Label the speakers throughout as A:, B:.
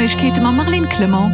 A: Neiegkeete mam Marlène Clement.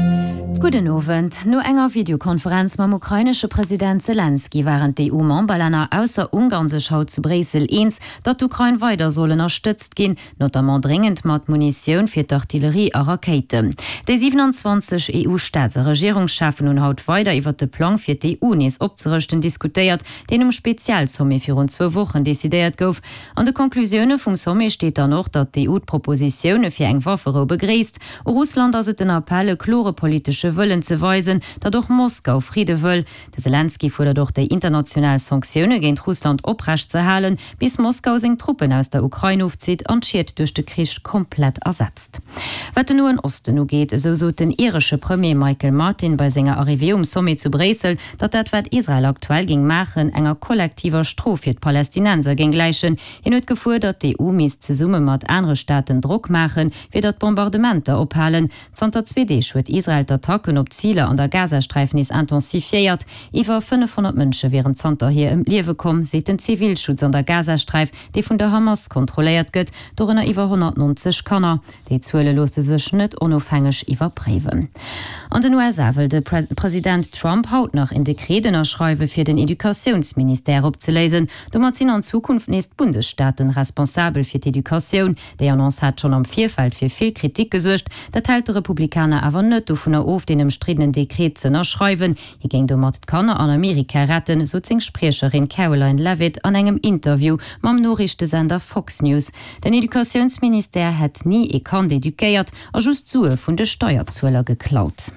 B: Gudden Owend. No enger Videokonferenz mam ukrainesche President Selenskyj waren d'EU-Memberlänner ausser Ungarn sech haut zu Bréissel eens, datt d'Ukrain weider soll ënnerstëtzt ginn, notamment dréngend mat Munitioun fir d'Artillerie a Rakéiten. Déi 27 EU-Staats a Regierungscheffen hunn haut weider iwwert de Plang fir d'EU nees opzerëschten diskutéiert, deen um Spezialsommet virun zwou Wochen decidéiert gouf. An de Conclusioune vum Sommet steet dann och, datt d'EU d'Propositioune fir eng Wafferou begréisst. U Russland ass et den Appell, e klore politesche Wëllen ze weisen, datt och Moskau Fridde wëll. De Selenskyj fuerdert och, déi international Sanktioune géint Russland oprecht ze halen, bis Moskau seng Truppen aus der Ukrain ofzitt an d'Schied duerch de Krich komplett ersetzt. Wat den Noen Osten ugeet, esou sot den iresche Premier Michael Martin bei senger Arrivée um Sommet zu Bréissel, datt dat wat Israel aktuell géing maachen, enger kollektiver Strof fir d'Palästinenser géing gläichen. Hien huet gefuerdert, d'EU misst zesumme mat anere Staaten Drock maachen, fir datt d'Bombardementer ophalen. Zanter zwee Deeg huet Israel d'Attacken op Ziler an der Gazasträif nees intensifiéiert. Iwwer 500 Mënsche wieren zanterhier ëm d'Liewe komm, seet den Zivilschutz an der Gazasträif, dee vun der Hamas kontrolléiert gëtt, dorënner iwwer 190 Kanner. Déi Zuele loosse sech net onofhängeg iwwerpréiwen. An den USA wëll de President Trump haut nach en Dekret ënnerschreiwe fir den Educatiounsministère opzeléisen. Domat sinn an Zukunft nees d'Bundesstaaten responsabel fir d'Educatioun. Déi Annonce hat schonn am Virfeld fir vill Kritik gesuergt. Dat hält de Republikaner awer net dovunner of, deen ëmstriddenen Dekret z'ënnerschreiwen. Hie géing domat d'Kanner an Amerika retten, sot seng Spriecherin Caroline Leavitt an engem Interview mam Noriichtesender Fox News. Den Educatiounsministère hätt ni ee Kand eduquéiert a just Sue vun de Steierzueler geklaut.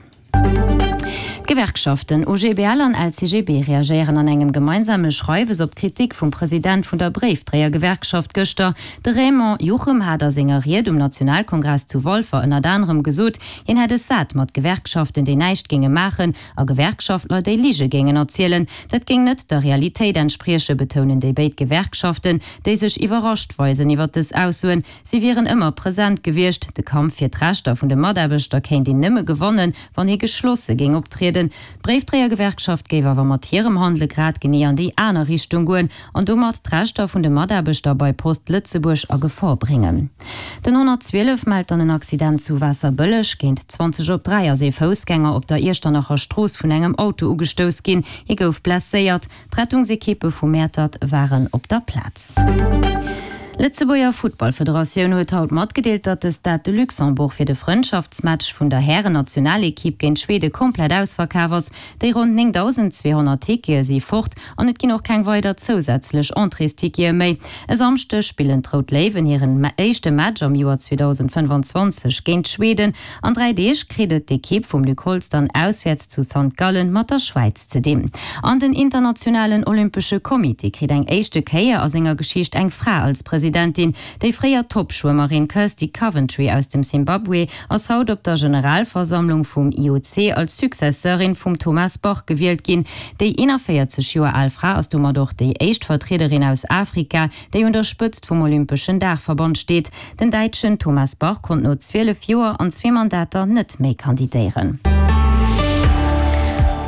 B: D'Gewerkschaften OGBL an LCGB reagéieren an engem gemeinsame Schreiwes op d'Kritik vum President vun der Bréifdréiergewerkschaft gëschter. De Raymond Juchem hat a senger Ried um Nationalkongress zu Walfer ënnert anerem gesot, hien hätt es sat mat Gewerkschaften, déi näischt géinge maachen a Gewerkschaftler, déi Lige géingen erzielen. Dat géing net der Realitéit entspriechen, betounen déi béid Gewerkschaften, déi sech iwwerrascht weisen iwwer dës Aussoen. Si wieren ëmmer present gewiescht. De Kampf fir d'Rechter vun de Mataarbechter kéint een nëmme gewannen, wann ee geschlosse géing optrieden. D'Bréifdréiergewerkschaft géif awer mat hirem Handele grad genee an déi aner Richtung goen an domat d'Rechter vun de Mataarbechter bei Post Lëtzebuerg a Gefor bréngen. Den 112 mellt dann en Accident zu Waasserbëlleg. Géint 20 op 3 ass ee Foussgänger op der Iechternacher Strooss vun engem Auto ugestouss ginn. Hie gouf blesséiert. D'Rettungsekippe vu Mäertert waren op der Plaz. D'Lëtzebuerger Futtballfederatioun huet haut matgedeelt, datt de Stade de Luxembourg fir de Frëndschaftsmatch vun der Hären-Nationalekipp géint Schwede komplett ausverkaf ass. Déi ronn 9.200 Tickete si fort an et ginn och keng weider zousätzlech Entréestickete méi. E Samschdeg spillen d'Rout Léiwen hiren éischte Match am Joer 2025 géint Schweden. An 3 Deeg kritt et d'Ekipp vum Luc Holtz dann auswäerts zu Sankt Gallen mat der Schwäiz ze dinn. An den Internationalen Olympesche Comité kritt eng éischte Kéier a senger Geschicht eng Fra als Presidentin. Déi fréier Toppschwëmmerin Kirsty Coventry aus dem Simbabwe ass haut op der Generalversammlung vum IOC als Successeurin vum Thomas Bach gewielt ginn. Déi 41 Joer al Fra ass domat och déi éischt Vertriederin aus Afrika, déi un der Spëtzt vum Olympeschen Daachverband steet. Den Däitschen Thomas Bach konnt no 12 Joer an zwee Mandater net méi kandidéieren.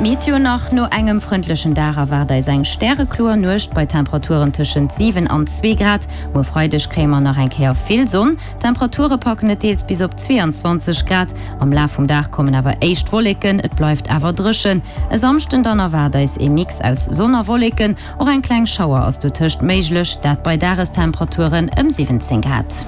B: Meteo nach, No engem frëndlechen Dag erwaart eis eng stärekloer Nuecht bei Temperaturen tëschent 7 an 2 Grad. Muer Freideg kréie mer nach eng Kéier vill Sonn, d'Temperature packen et deels bis op 22 Grad. Am Laf vum Dag kommen awer éischt Wolleken, et bleift awer dréchen. E Samschden dann erwaart eis ee Mix aus Sonn a Wolleken, Och eng kleng Schauer ass dotëscht méiglech, dat bei Dagestemperaturen ëm 17 Grad.